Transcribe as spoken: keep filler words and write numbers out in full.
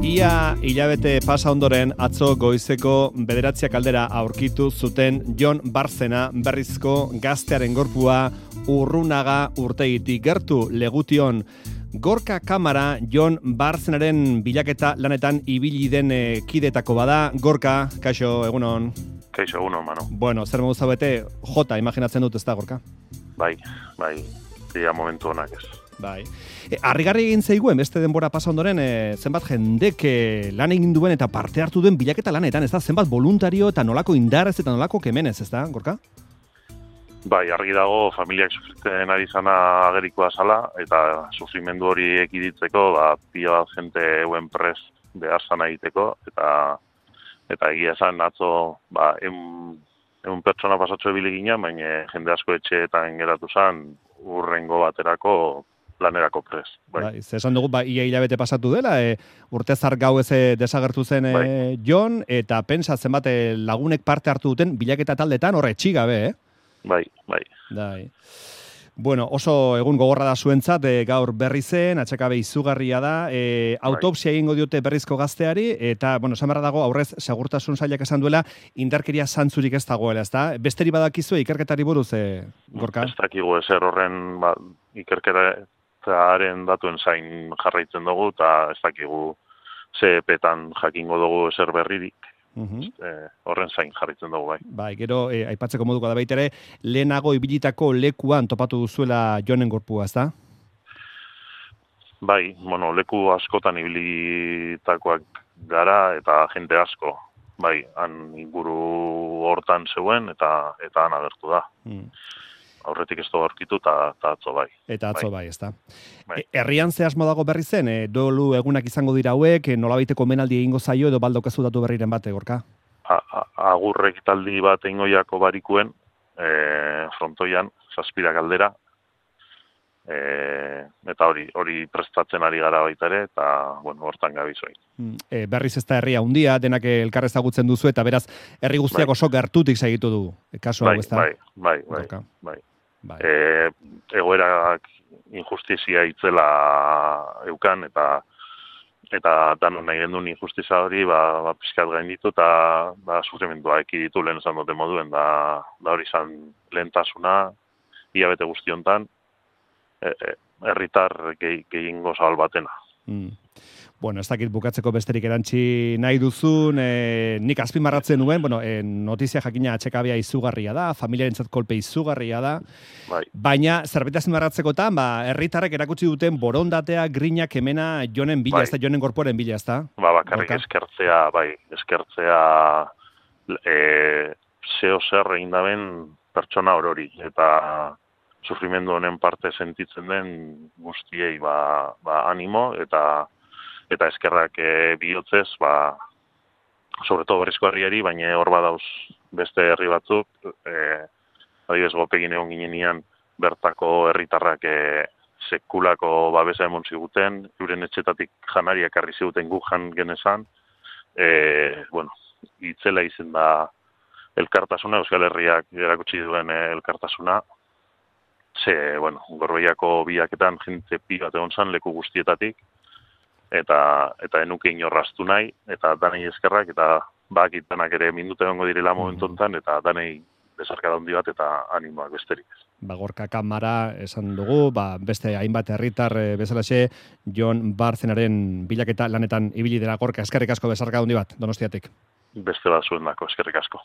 Ia hilabete pasa ondoren atzo goizeko bederatziak aldera aurkitu zuten Jon Barzena berrizko gaztearen gorpua Urrunaga urtegitik gertu Legution. Gorka Kamara Jon Barzenaren bilaketa lanetan ibili den e, kidetako bada. Gorka, kaixo, egunon. Kaixo, egunon, mano. Bueno, zer modu zaudete, jota imaginatzen dut, ez da, Gorka? Bai, bai, dia momentu honak ez. Bai. E, Harrigarri egin zeiguen, beste denbora pasa ondoren, e, zenbat jendek e, lan egin duen eta parte hartu duen bilaketa lanetan, ez da? Zenbat voluntario eta nolako indarrez eta nolako kemenez, ez da, Gorka? Bai, argi dago familiak sufritzen ari zana agerikoa zala, eta sufrimendu hori ekiditzeko, ba, pila bat jente euen prez behar zana egiteko, eta eta egia esan atzo, ba, egun pertsona pasatxo ebili gina, baina jende asko etxeetan geratu zan, urrengo baterako lanerako prez. Bai. Bai, esan dugu, ba, ia hilabete pasatu dela, e, urtezar gau ez desagertu zen e, bai. Jon, eta pentsa zenbat e, lagunek parte hartu duten bilaketa taldetan horre txigabe, eh? Bai, bai. Dai. Bueno, oso egun gogorra da zuentzat, e, gaur berri zen, atxakabe izugarria da, e, autopsia egingo diote berrizko gazteari, eta, bueno, esan beharra dago, aurrez, segurtasun sailak esan duela, indarkeria zantzurik ez dagoela, ez da? Besteri badakizue ikerketari buruz, e, Gorka? Ez dakigu ezer horren, ba, ikerketaren datuen zain jarraitzen dugu, eta ez dakigu ze epetan jakingo dugu ezer berririk. Uhum. E, horren zain jarritzen dugu, bai. Bai, gero, e, aipatzeko moduko da baita ere, lehenago ibilitako lekuan topatu duzuela Jonen gorpua, ez da? Bai, bueno, leku askotan ibilitakoak gara eta jente asko. Bai, han inguru hortan zeuen eta eta han agertu da. Mm. Aurretik ez du aurkitu eta atzo bai. Eta atzo bai, bai ez da. Bai. E, herrian ze asmo dago berri zen, e, dolu egunak izango dira hauek, e, nolabaiteko menaldi egingo zaio edo baldokezu datu berriren bate, Gorka? Agurrek taldi bat eingoiako barikuen, e, frontoian, zazpirak aldera, e, eta hori hori prestatzen ari gara baita ere, eta bueno, hortan gabizoin. E, berriz ez da herria handia, denak elkar ezagutzen duzu, eta beraz, herri guztiak bai. oso gertutik segitu du, kasu hau bai, ez da? Bai, bai, bai, Gorka. bai. Bai. E, egoerak injustizia itzela eukan, eta eta danon nahi gendun injustizia hori, ba, ba pizkat gainditu, eta ba, sufrimendua ekiditu lehen esan dute moduen, da, da hori izan lehentasuna, hilabete guztiontan, e, e, herritar gehi, gehiengo zabal batena. Mm. Bueno, ez dakit bukatzeko besterik erantzi nahi duzun, e, nik azpimarratzen nuen, bueno, e, notizia jakina atxekabea izugarria da, familiarentzat kolpe izugarria da, bai. Baina zerbait azpimarratzekotan, ba, herritarrek erakutsi duten borondatea, grinak emena Jonen bila, bai. ez da, Jonen gorpuaren bila, ez da? Ba, bakarrik eskertzea, bai, eskertzea e, zeo zer egin daben pertsona orori, eta sufrimendu honen parte sentitzen den guztiei ba, ba animo, eta eta eskerrak e, bihotzez, ba, sobreto berrizko herriari, baina hor badauz beste herri batzuk, e, adibidez gopegin egon ginenian bertako herritarrak e, sekulako babesa emon ziguten, euren etxetatik janariak arri ziguten gu jan genezan, e, bueno, itzela izen da elkartasuna, Euskal Herriak erakutsi duen e, elkartasuna, ze, bueno, Gorbeiako biaketan jente pi bat egon zan leku guztietatik, eta eta enuke inorraztu nahi, eta danei eskerrak, eta bakit danak ere minute egongo direla momentu honetan, eta danei besarkada handi bat eta animoak besterik. Ba, Gorka Kamara esan dugu, ba, beste hainbat herritar e, bezalaxe, Jon Barzenaren bilaketa lanetan ibili dela. Gorka, eskerrik asko besarkada handi bat, Donostiatik. Beste bat zuen dako, eskerrik asko.